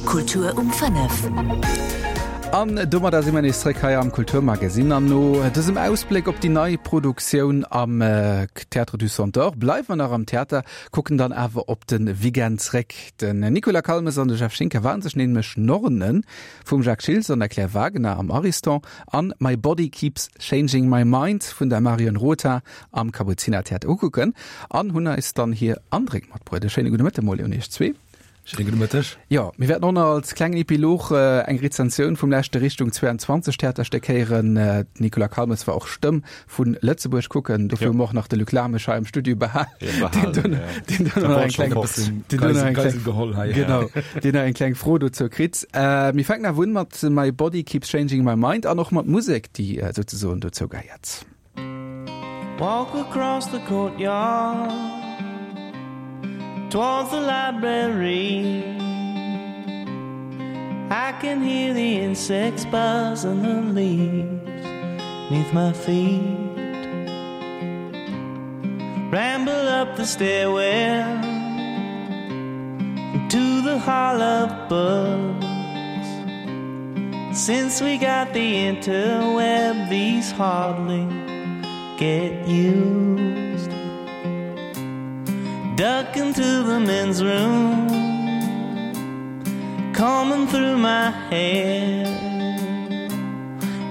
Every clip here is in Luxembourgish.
Kultur um 5. An domadder si mer nees zréck hei am Kulturmagesin. An no dësem Ausbléck op déi nei Produktioun am Théâtre du Centaure bleiwe mer nach am Theater, kucken dann awer op de Weekend zréck. Den Nicolas Calmes an de Jeff Schinker waren sech nämlech Nornen vum Jacques Schiltz an der Claire Wagener am Ariston an My Body Keeps Changing My Mind vun der Marion Rotha am Kapuzinertheater ukucken an hunn eis dann hir Andréck matbruet. E schéine gudde Mëtte mol un iech zwee. Schéine gudde Mëtteg. Jo, mir wäerten och nach als klengen Epilog eng Rezensioun vum leschte Richtung 22 Theaterstéck héieren. D'Nicolas Calmes war och Stëmm vu Lëtzebuerg kucken. Dofir hu mer och nach de Luc Lamesch hei am Studio behal, deen do deen do nach eng kleng deen do nach eng kleng geholl hei. Genau, deen nach eng kleng Fro dozou kritt. Mir fänken awer un mat My Body Keeps Changing My Mind an och mat Musek, déi souzesoen dozou gehéiert. Walk across the courtyard Towards the library I can hear the insects buzz and the leaves Neath my feet Ramble up the stairwell To the hall of books Since we got the interweb These hardly get used Duck into the men's room Combing through my hair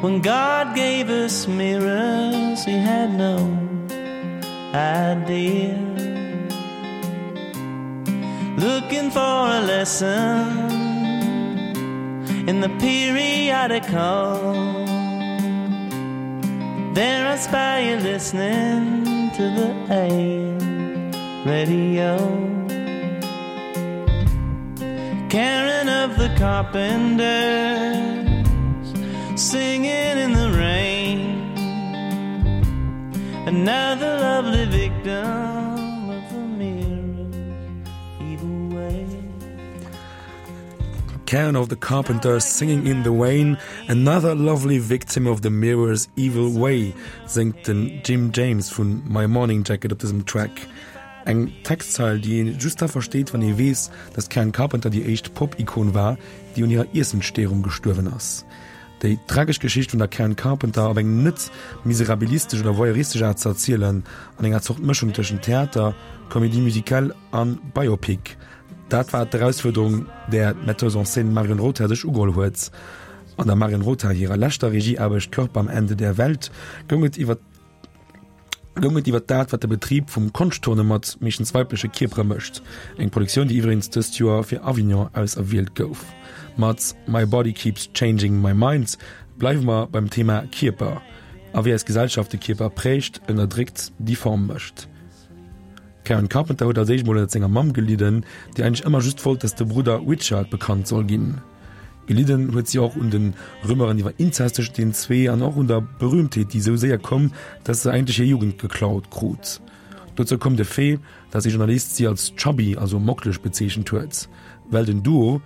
When God gave us mirrors He had no idea Looking for a lesson In the periodical There I spy you listening to the AM radio Karen of the Carpenters Singing in the rain Another lovely victim of the mirror's evil way. Karen of the Carpenters singing in the Rain, Another lovely victim of the mirror's evil way, séngt den Jim James vu My Morning Jacket op dësem Track. Eng Textzeil, déi ee just da versteet, wann ee weess, datt d'Karen Carpenter déi éischt Pop-Ikon war, déi un hirer Iessensstéierung gestuerwen ass. Déi tragesch Geschicht vun der Karen Carpenter op eng net miserabilistesch oder voyeuristesch Aart ze erzielen, an enger Zort Mëschung tëschent Theater, Comédie musicale an Biopic, dat war d'Erausfuerderung, där d'Metteuse en scène Marion Rothaar sech ugeholl huet. An der Marion Rothaar hirer leschter Regieaarbecht Körper am Ende der Welt goung et iwwer goung et iwwer dat, wat de Betrib vum Konschtturne mat meeschtens weibleche Kierpere mécht. Eng Produktioun, déi iwweregens dëst Joer fir Avignon auserwielt gouf. Mat My Body Keeps Changing My Mind bleiwe mer beim Thema Kierper a wéi eis Gesellschaft de Kierper prägt, ënnerdréckt, difform mécht. D'Karen Carpenter huet als éischt mol ënnert senger Mamm gelidden, déi eigentlech ëmmer just wollt, datt de Brudder Richard bekannt soll ginn. Gelidden huet si och un de Rumeuren iwwer Inzest tëschent den zwee an och un der Berühmtheet, déi esou séier koum, datt se eigentlech hir Jugend geklaut krut. Dozou koum de Fait, datt ee Journalist si als chubby, also mockeleg bezeechent huet, well den Duo,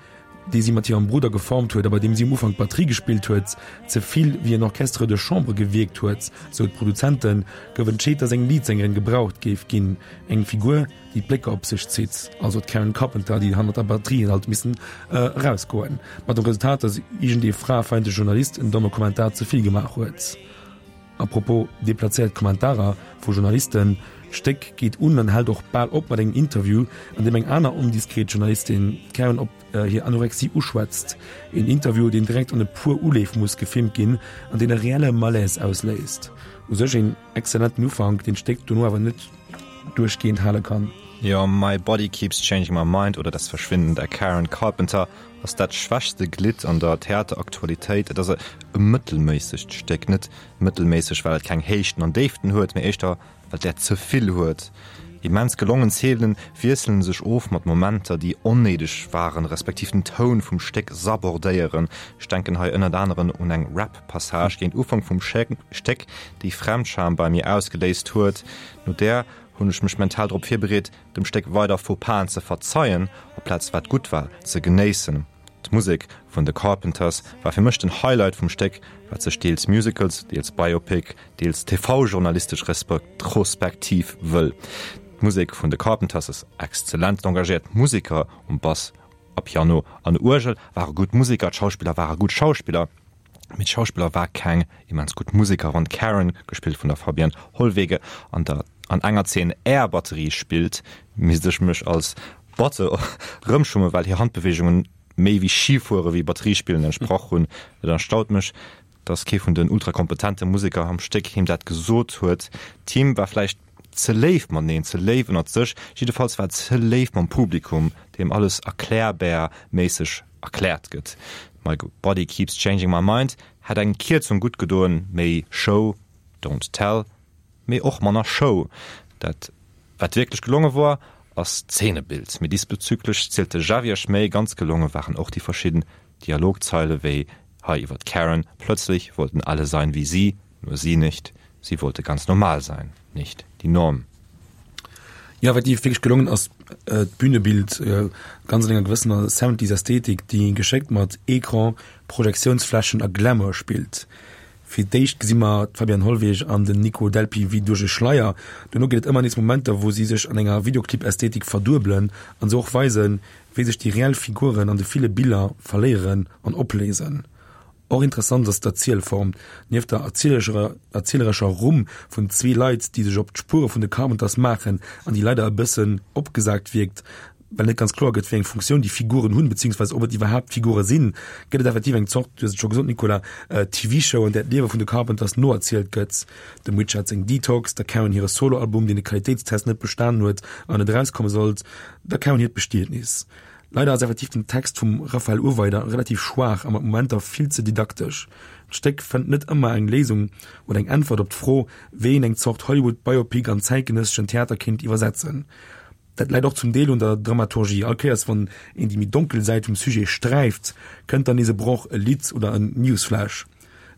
dee si mat hirem Brudder geformt huet a bei deem si um Ufank d'Batterie gespillt huet, ze vill wéi en Orchestre de chambre gewierkt huet, sou d'Produzenten, gouf entscheet, datt eng Leadsängerin gebraucht géif ginn, eng Figur, déi d'Blécker op sech zitt, also d'Karen Carpenter, déi hannert der Batterie huet alt missen erausgoen, mat dem Resultat, datt iergendee fraefeindleche Journalist en domme Kommentar ze vill gemaach huet. A propos deplazéiert Kommentarer vu Journalisten, D'Stéck geet un an hält och bal op mat engem Interview, an deem eng aner ondiskret Journalistin d'Karen op hir Anorexie uschwätzt. Een Interview, deen direkt an e puer Uleef muss gefilmt ginn an deen e reelle Malaise ausléist. U sech een exzellenten Ufank, deen d'Stéck dono awer net duerchgehend hale kann. Jo, My Body Keeps Changing My Mind oder Das Verschwinden der Karen Carpenter ass dat schwächste Glidd an der Theateraktualitéit. Et ass e mëttelméissegt Stéck. Net mëttelméisseg, well et keng Héichten an Déiften huet, mee éischter, well et där ze vill huet. Immens gelongen Zeenen wiesselen sech of mat Momenter, déi onnéideg waren, respektiv den Toun vum Stéck sabordéieren. Ech denken hei ënnert aneren un eng Rap-Passage géint Ufank vum Stéck, déi Fremdscham bei mir ausgeléist huet. No där hunn ech mech mental drop virbereet, dem Stéck weider Faux-Pasen ze verzeien, aplaz wat gutt war ze genéissen. D'Musek vun The Carpenters war fir mech den Highlight vum Stéck, wat sech deels Musicals, deels Biopic, deels TV-journalistesch Retrospektiv wëll. D'Musek vun The Carpenters ass exzellent, d'engagéiert Museker um Bass. A Piano an Uergel ware gutt Museker, d'Schauspiller ware gutt Schauspiller, mee d'Schauspiller war keng immens gutt Museker. Wann d'Karen, gespillt vun der Fabienne Hollwege, an der an enger Zeen Air Batterie spillt, misst ech mech als Batte rëmschummen, well hir Handbeweegungen méi wéi Schifuere wéi Batterie spillen entsprach hunn. Et erstaut mech, dass kee vun den ultrakompetente Museker am Stéck him dat gesot huet. D'Team war vläicht ze léif mateneen, ze léif ënnert sech, jiddefalls war et ze léif mam Publikum, deem alles erklärbär-méisseg erkläert gëtt. My Body Keeps Changing My Mind hätt eng Kierzung gutt gedoen, méi Show, don't tell, mee och manner Show. Dat wat wierklech gelonge wor, ass d'Zeenebild, mee diesbezüglech zielt de Javier Schmey ganz gelonge waren och déi verschidden Dialogzeile wéi hei iwwer d'Karen, Plötzlich wollten alle sein wie sie, nur sie nicht, sie wollte ganz normal sein, nicht die Norm. Jo, effektiv, wierklech gelongen ass d'Bühnebild, ganz an enger gewëssener Seventies Ästhetik, déi geschéckt mat Ecran, Projektiounsflächen a Glamour spillt. Fir d'éischt gesi mer d'Fabienne Hollweg an den Nico Delpy wéi duerch e Schleier, dono ginn et ëmmer nees Momenter, wou si sech an enger Videoclip-Ästhetik verduebelen an sou och weisen, wéi sech déi reell Figuren an de ville Biller verléieren an opléisen. Och interessant ass d'Erzielform. Nieft der erzielerescher Rumm vun zwee Leit, déi sech op d'Spuere vun de Carpenters maachen an déi leider e bëssen opgesagt wierkt, well net ganz kloer gëtt, wéi eng Funktioun déi Figuren hunn, beziehungsweise ob et iwwerhaapt Figure sinn, gëtt et effektiv eng Zort, du hues et scho gesot, Nicolas, TV-Show, an där d'Liewe vun de Carpenters noerzielt gëtt. Dem Richard seng Detox, der Karen hire Soloalbum, deen de Qualitéitstest net bestanen huet an net erauskomme sollt, der Karen hiert Bestietnis. Leider ass effektiv den Text vum Raphael Urweider relativ schwaach a mat Momenter vill ze didaktesch. D'Stéck fënnt net ëmmer eng Léisung oder eng Äntwert op d'Fro, wéi een eng Zort Hollywood-Biopic an zäitgenësseschen Theater kéint iwwersetzen. Dat läit och zum Deel un der Dramaturgie. All Kéiers wann een déi méi donkel Säit vum Sujet sträift, kënnt dann nees e Broch, e Lidd oder en Newsflash.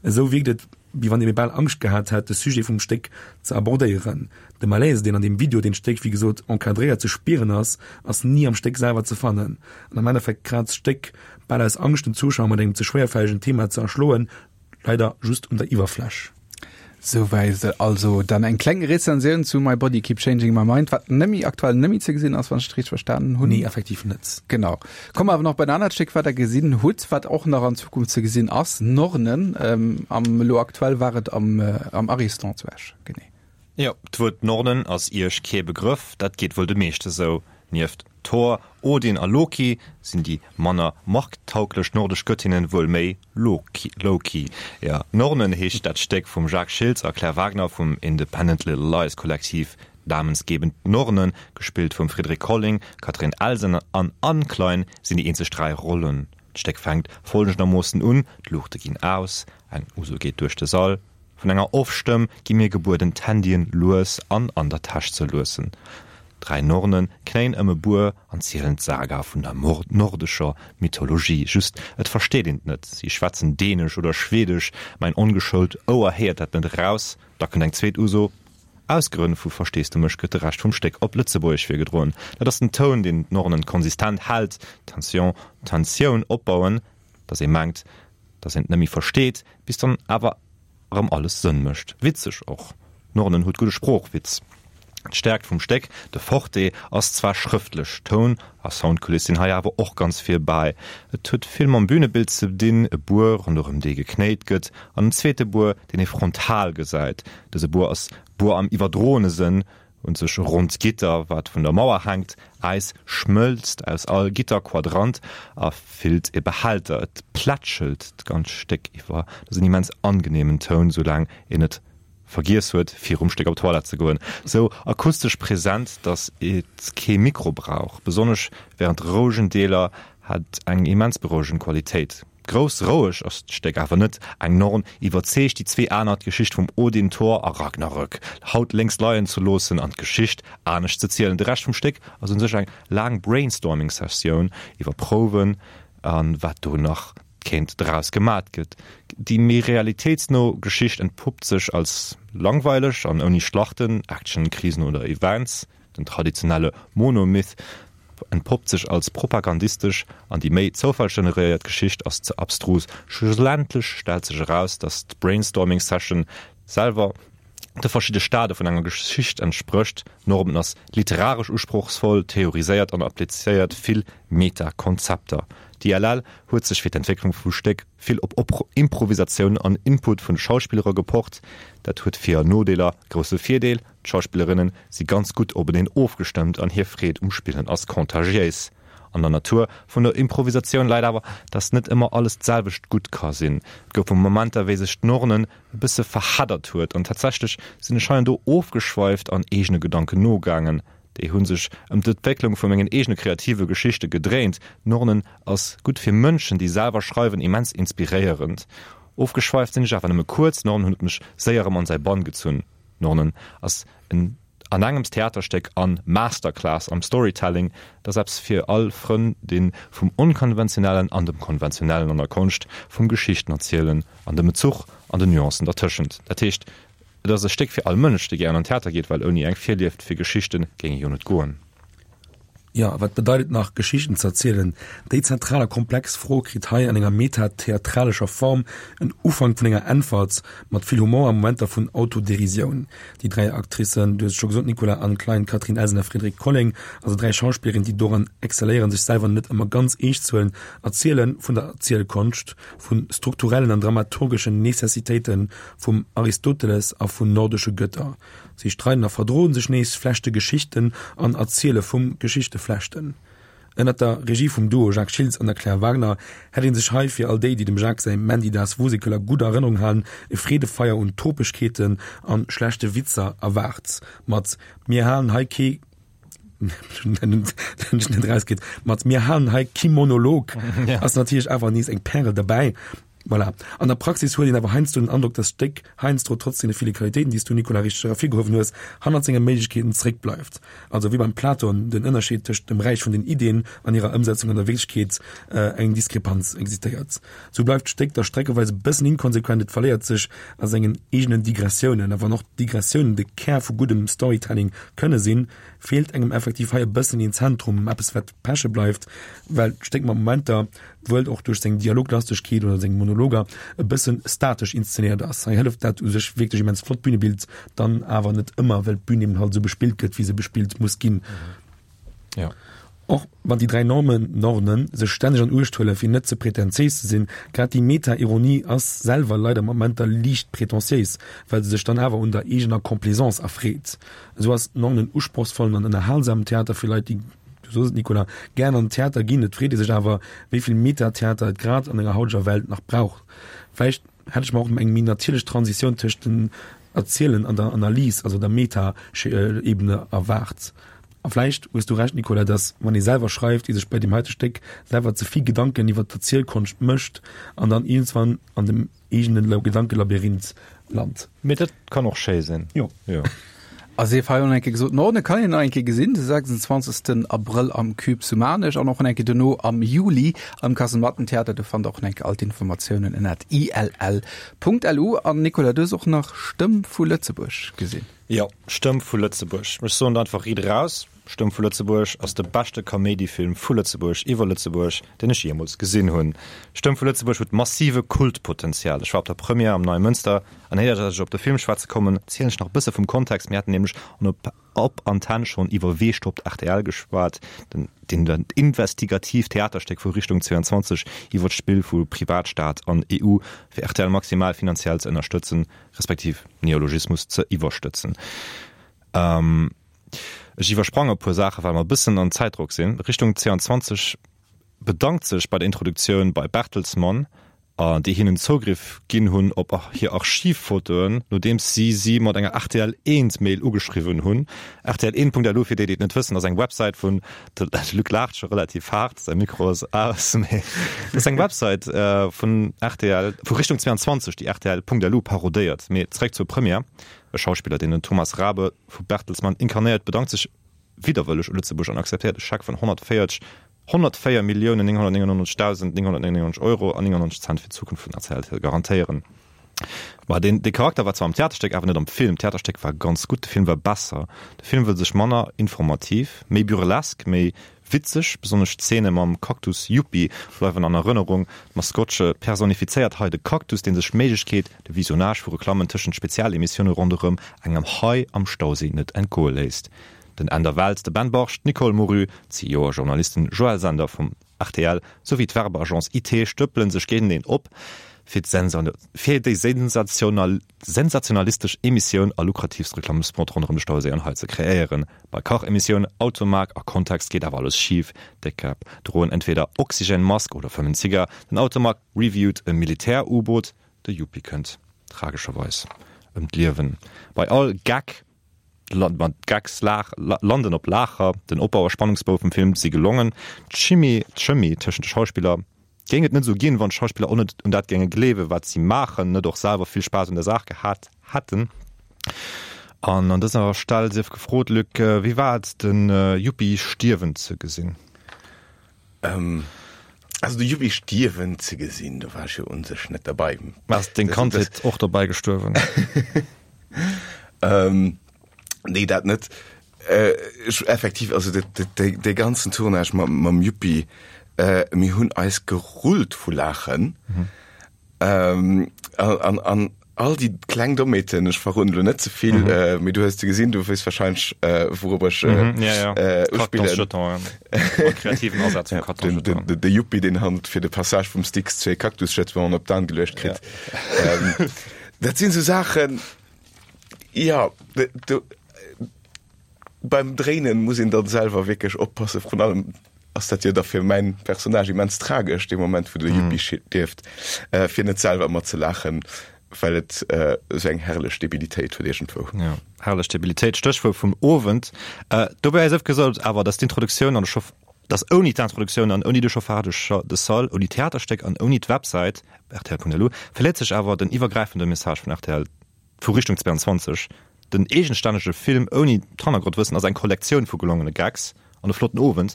Esou wierkt et, wéi wann ee bal Angscht gehat hätt, de Sujet vum Stéck ze abordéieren. De Malaise, deen an deem Video, deen d'Stéck wéi gesot encadréiert, ze spieren ass, ass ni am Stéck selwer ze fannen. An am Endeffekt kraazt d'Stéck, bal aus Angscht den Zuschauer mat engem ze schwéierfällegen Thema ze erschloen, leider just un der Iwwerfläch. Souwäit also dann eng kleng Rezensioun zu My Body Keep Changing My Mind, wat nëmme aktuell nëmme ze gesinn ass, wann ech et richteg verstanen hunn. Nee, effektiv net. Genau. Komme awer nach bei en anert Stéck, wat der gesinn hutt, wat och nach an Zukunft ze gesinn ass, Nornen. Ähm, am elo aktuell war et am, äh, am Ariston zu Esch. Genee. Jo, d'Wuert Nornen ass Iech kee Begrëff, dat geet wuel de meeschte sou. Nieft Thor, Odin a Loki sinn déi manner markttauglech nordesch Göttinnen wuel méi low-key. Jo, Nornen heescht dat Stéck vum Jacques Schiltz a Claire Wagner vum Independent Little Lies Kollektiv. Namensgebend Nornen, gespillt vum Frédéric Colling, Catherine Elsen an Anne Klein, sinn déi eenzeg 3 Rollen. D'Stéck fänkt folgendermoossen un, D'Luuchte ginn aus, eng Uso geet duerch de Sall, vun enger Off-Stëmm gi mir gebueden d'Handyen lues an an der Täsch ze luessen. Dräi Nornen knéien ëm e Buer an zielen d'Saga vun der nordescher Mythologie, just et versteet een et net, si schwätzen dänesch oder schwedesch, mäin ongeschoult Ouer héiert dat net eraus. Da kënnt eng zweet Uso. Aus Grënn vu Versteesdemech gëtt de Rescht vum Stéck op Lëtzebuergesch virgedroen. Dat ass den Toun, deen d'Nornen konsistent hält, Tension, Tensioun opbauen, datt ee mengt, datt een et net méi versteet, bis dann awer erëm alles Sënn mécht. Witzeg och, d'Nornen huet gudde Sproochwitz. D'Stäerkt vum Stéck, de Forte, ass zwar schrëftlech, Toun a Soundkuliss sinn hei awer och ganz vir bäi. Et huet vill mam Bünebild ze dinn, e Buer, ronderëm dee geknéit gëtt, an en zweete Buer, deen ee frontal gesäit. Dëse Buer ass Buer am iwwerdroene Sënn, un sech e ronnt Gitter, wat vun der Mauer hänkt. Äis schmëlzt aus all Gitterquadrant a fillt e Behälter. Et plätschelt d'ganz Stéck iwwer. Dat ass en immens angeneemen Toun, soulaang een net vergiess huet virum Stéck op d'Toilette ze goen. Sou akustesch present, datt et kee Mikro brauch. Besonnesch wärend de rouegen Deeler hat eng immens berouegend Qualitéit. Grouss roueg ass d'Stéck awer net. Eng Norn iwwerzeegt déi zwee aner, d'Geschicht vum Odin, Thor a Ragnarök haut lénks leien ze loossen an d'Geschicht anescht ze zielen. De Rescht vum Stéck ass un sech eng laang Brainstorming-Sessioun iwwer Prouwen a wat do nach kéint draus gemat gëtt. Déi méi realitéitsno Geschicht entpuppt sech als langweileg an ouni Schlachten, Action, Krisen oder Events. Den traditionelle Monomyth entpoppt sech als propagandistesch an déi méi zoufallgeneréiert Geschicht ass ze abstrus. Schlussendlech stellt sech eraus, datt d'Brainstorming Session selwer. De verschidde Stade vun enger Geschicht entsprécht. Normen ass literaresch usprochsvoll, theoriséiert an applizéiert vill Meta-Konzepter. D'ILL huet sech fir d'Entwécklung vum Stéck vill op Improvisatioun an Input vun de Schauspillere gepocht. Dat huet Vir an Nodeeler. Grousse Virdeel, D'Schauspillerinne si ganz gutt openeen ofgestëmmt an hir Freed um Spillen ass contagiéis. An der Natur vun der Improvisatioun läit awer, dass net ëmmer alles d'selwecht gutt ka sinn. Et goufe Momenter, wéi sech d'Nornen e bësse verheddert huet an tatsächlech sinn ech hei an do ofgeschweift an eegene Gedanken nogaangen. Déi hu sech ëm d'Entwécklung vu mengen eegene kreative Geschichte gedréint. Nornen ass gutt fir Mënschen, déi selwer schreiwen, immens inspiréierend. Ofgeschweift sinn ech awer nëmme kuerz, Nornen huet mech séier erëm an säi Bann gezunn. Nornen ass en Anengems Theaterstéck an Masterclass am Storytelling, et ass eppes fir all Frënn deen vum Onkonventionellen an dem Konventionellen an der Konscht vum Geschichten erzielen an dem Bezuch an den Nuancen dertëschent. Dat heescht, et ass e Stéck fir all Mënsch dee gären an Theater geet, well ouni eng Virlieft fir Geschichten géing e jo net goen. Jo, a wat bedeit et nach, Geschichten ze erzielen? Déi zentral a komplex Fro kritt hei an enger meta-theatralescher Form en Ufank vun enger Äntwert, mat vill Humor a Momenter vun Autoderisioun. Déi 3 Actricen, du hues et scho gesot, Nicolas Anne Klein, Catherine Elsen a Frédérique Colling, also 3 Schauspillerinnen, déi doran exzelléieren, sech selwer net ëmmer ganz eescht ze huelen, erziele vun der Erzielkonscht, vu strukturellen an dramaturgeschen Necessitéite vum Aristoteles a vun nordesche Gëtter. Si streiden a verdroen sech nees, flechte Geschichten an erziele vum Geschichteflechten. Ënnert der Regie vum Duo Jacques Schiltz an der Claire Wagner hätt ee sech hei, fir all déi, déi dem Jacques säi Mandy das Wusekel a gudder Erënnerung halen, e Freedefeier un Topegkeeten an schlechte Witzer erwaart. Mat Mir halen hei kee mat Mir halen hei kee Monolog ass natierlech awer nees eng Pärel derbäi. Voilà. An der Praxis huet een awer heiansdo den Androck, dass d'Stéck heiansdo, trotz deene ville Qualitéiten, déi s du, Nicolas, richteg ervirgehuewen hues, hannert senge Méiglechkeeten zeréckbleift. Also wéi beim Platon den Ënnerscheed tëscht dem Räich vun den Iddien an hirer Ëmsetzung an der Wierklechkeet eng Diskrepanz existéiert. Sou bleift d'Stéck da streckeweis e bëssen inkonsequent, et verléiert sech a sengen eegenen Digressiounen. A wann och Digressiounen de Kär vu guddem Storytelling kënne sinn, feelt engem effektiv hei e bëssen een Zentrum, eppes wat peche bleift, well d'Stéck mat Momenter, wuel och duerch seng Dialoglastegkeet oder seng Monologer, e bëssen statesch inszenéiert ass. Hei hëlleft dat u sech wierklech immens flott Bünebild dann awer net ëmmer, well d'Bün eben halt esou bespillt gëtt, wéi se bespillt muss ginn. Ja. Och wann déi 3 Normen, Nornen sech stänneg an Uecht huelen, fir net ze prätentiéis ze sinn, grad déi Meta-Ironie ass selwer leider mat Momenter liicht prätentiéis, well se sech dann awer un der eegener Complaisance erfreet. Esou ass Nornen usprochsvollen an ënnerhalsamen Theater fir Leit, déi Du soos et, Nicolas, gären an den Theater ginn. Et freet ee sech awer, wéi vill Meta-Theater et grad an enger hauteger Welt nach brauch. Vläicht hätt ech mer och eng méi natierlech Transitioun tëscht dem Erzielen an der Analys, also der Meta-Ebene erwaart. A vläicht hues du Recht, Nicolas, dass, wann ee selwer schreift, ee sech bei deem heite Stéck selwer ze vill Gedanken iwwer d'Erzielkonscht mécht an dann iergendswann an dem eegenen Gedankelabyrinth lant. Mee dat kann och schéi sinn. Jo. Jo. A sief hei och nach eng Kéier gesot, Norden kann een nach eng Kéier gesinn, de 26. Abrëll am Cube zu Maarnech an och eng Kéier dono am Juli am Kasemattentheater. Do fannt der och nach eng Kéier all d'Informatiounen ënnert ill.lu. An Nicolas, du hues och nach Stëmm vu Lëtzebuerg gesinn. Jo, Stëmm vu Lëtzebuerg. Ech soen et einfach riit eraus, Stëmm vu Lëtzebuerg ass de beschte Kaméidifilm vu Lëtzebuerg iwwer Lëtzebuerg, deen ech jeemools gesinn hunn. Stëmm vu Lëtzebuerg huet massive Kultpotenzial. Ech war op der Première am Neie Mënster an éier dass ech op de Film schwätze kommen, zielen ech nach e bësse vum Kontext. Mir haten nämlech an op op Antenn schonn iwwer Wee stoppt rtl geschwat, den den investigatiivt Theaterstéck vu Richtung 22 iwwer d'Spill vu Privatstaat an EU fir rtl maximal finanziell ze ënnerstëtzen, respektiv Neologismus ze iwwerstëtzen. Ech iwwersprange e puer Saachen, well mer e bëssen an Zäitdrock sinn. Richtung 22 bedankt sech bei der Introduktioun bei Bertelsmann, déi hinnen Zougriff ginn hunn op hir Archivfotoen, nodeems si si mat enger rtl Eent Mail ugeschriwwen hunn. Rtl Eent.lu, fir déi, déi et net wëssen, ass eng Websäit vun, de Luc laacht scho relativ haart, säi Mikro ass aus, mee et ass eng Websäit vun rtl, vu Richtung 22, déi rtl.lu parodéiert. Mee zeréck zur Première. E Schauspiller, deen den Thomas Rabe vu Bertelsmann inkarnéiert, bedankt sech widderwëlleg u Lëtzebuerg an akzeptéiert e Scheck vun 140 104.999.999 Euro an 99 Cent fir d'Zukunft vun rtl ze garantéieren. Ma deen, dee Charakter war zwar am Theaterstéck, awer net am Film. D'Theaterstéck war ganz gutt, de Film war besser. De Film wëll sech manner informativ, méi burlesk, méi witzeg, besonnesch d'Zeene mam Kaktus Yuppie bleiwen an Erënnerung. D'Maskottche personifizéiert hei de Kaktus, dee sech d'Méiglechkeet, de Visionnage vu Reklammen tëschent Spezialemissioune ronderëm engem Hai am Stauséi net entgoe léisst. Den Änder Weltz, de Ben Barge, d'Nicole Moru, d'CEO a Journalisten Joël Sender vum rtl souwéi d'Werbeagence IT stëppele sech géinteneen op, fir fir déi sensationalistesch Emissioun a lukratiivst Reklammespot ronderëm de Stauséi an Hai ze kreéieren. Bei Kachemissioun, Automag a Kontext geet awer alles schif, Déckkäpp droen entweder Oxygène-Mask oder fëmmen Zigar, den Automag reviewt e Militär-U-Boot, de Yuppie kënnt tragescherweis ëm d'Liewen. Bei all Gag D'Gags landen op Laacher, den Opbau a Spannungsbou vum Film si gelongen. D'Chimie d'Chemie tëschent de Schauspiller géing et net esou ginn, wann d'Schauspiller och net un dat géinge gleewen, wat si maachen, net och selwer vill Spaass un der Saach gehat hätten. An an dëser Stell sief gefrot, Luc, wéi war et, de Yuppie stierwen ze gesinn? Also de Yuppie stierwen ze gesinn, do war ech jo un sech net derbei. Ass deng Kandheet och dobäi gestuerwen? Nee, dat net. Ech effektiv, also dee ganzen Tournage mam Yuppie, mir hunn eis gerullt vu Laachen. An all déi kleng Dommheeten, ech verroden elo net ze vill, mee du hues se gesinn, du weess warscheinlech, wourop ech uspillen. Kreativen Asaz vum Carton jeton. De Yuppie, deen hand fir de Passage vum Styx zwee Cactus-Jetonen op d'An geluecht kritt. Dat sinn esou Saachen, jo, do, beim Dréinen muss een dann selwer wierklech oppassen, vrun allem ass dat jo da fir mäin Personnage immens tragesch, dee Moment wou de Yuppie stierft, fir net selwer mat ze laachen, well et esou eng herrlech Debilitéit huet iergendwou. Jo, herrlech Debilitéit, Stéchwuert vum Owend. Dobäi sief gesot awer, dass d'Introduktioun an de Chauffe, dass ouni d'Introduktioun an ouni de Chauffage de salle, ouni d'Theaterstéck an ouni d'Websäit rtl.lu verléiert sech awer den iwwergräifende Message vun rtl. Vu Richtung 22, den eegenstännege Film ouni d'Hannergrondwëssen ass eng Kollektioun vu gelongene Gags an e flotten Owend.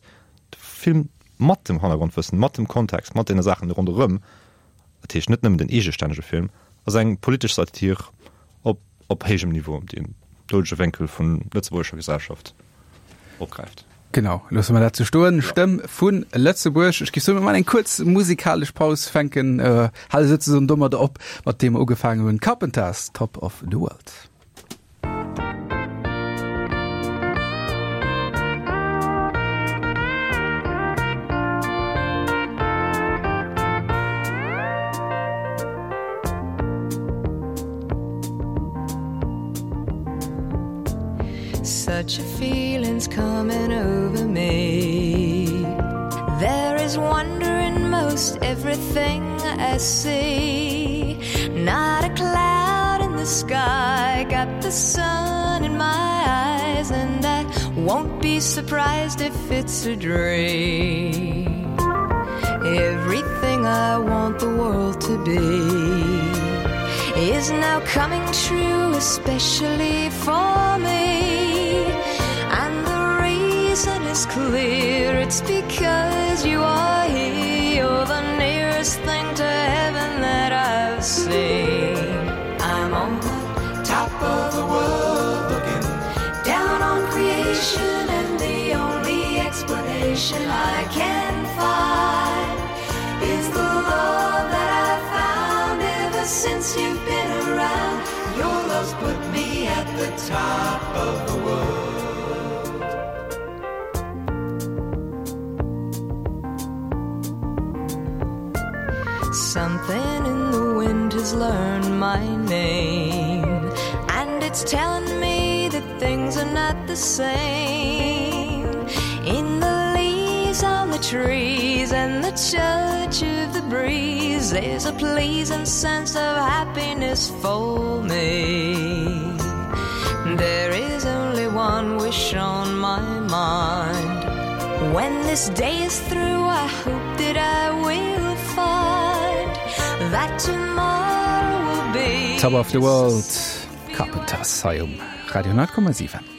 De Film mat dem Hannergrondwëssen, mat dem Kontext, mat deene Saachen ronderëm, dat heescht net nëmmen den eegestännege Film, ass eng politesch Satir op op héijem Niveau, déi en doudege Wénkel vun lëtzebuergescher Gesellschaft opgräift. Genau, loosse mer dat sou stoen. Stëmm vu Lëtzebuerg. Ech géif soen, mir maachen eng kuerz musikalesch Paus, fänken, hale souzesoen domadder op, mat deem mer ugefaangen hunn, Carpenters, Top of the World. Such a feeling's coming over me There is wonder in most everything I see Not a cloud in the sky Got the sun in my eyes And I won't be surprised if it's a dream Everything I want the world to be Is now coming true, especially for me And the reason is clear, it's because you are here You're the nearest thing to heaven that I've seen I'm on the top of the world looking down on creation And the only explanation I can find Is the love that I've found ever since you've been around Your love's put me at the top of the world Something in the wind has learned my name And it's telling me that things are not the same In the leaves on the trees and the touch of the breeze There's a pleasing sense of happiness for me There is only one wish on my mind When this day is through I hope that I will find That tomorrow will be Top of the World, Carpenters hei um Radio 10,7.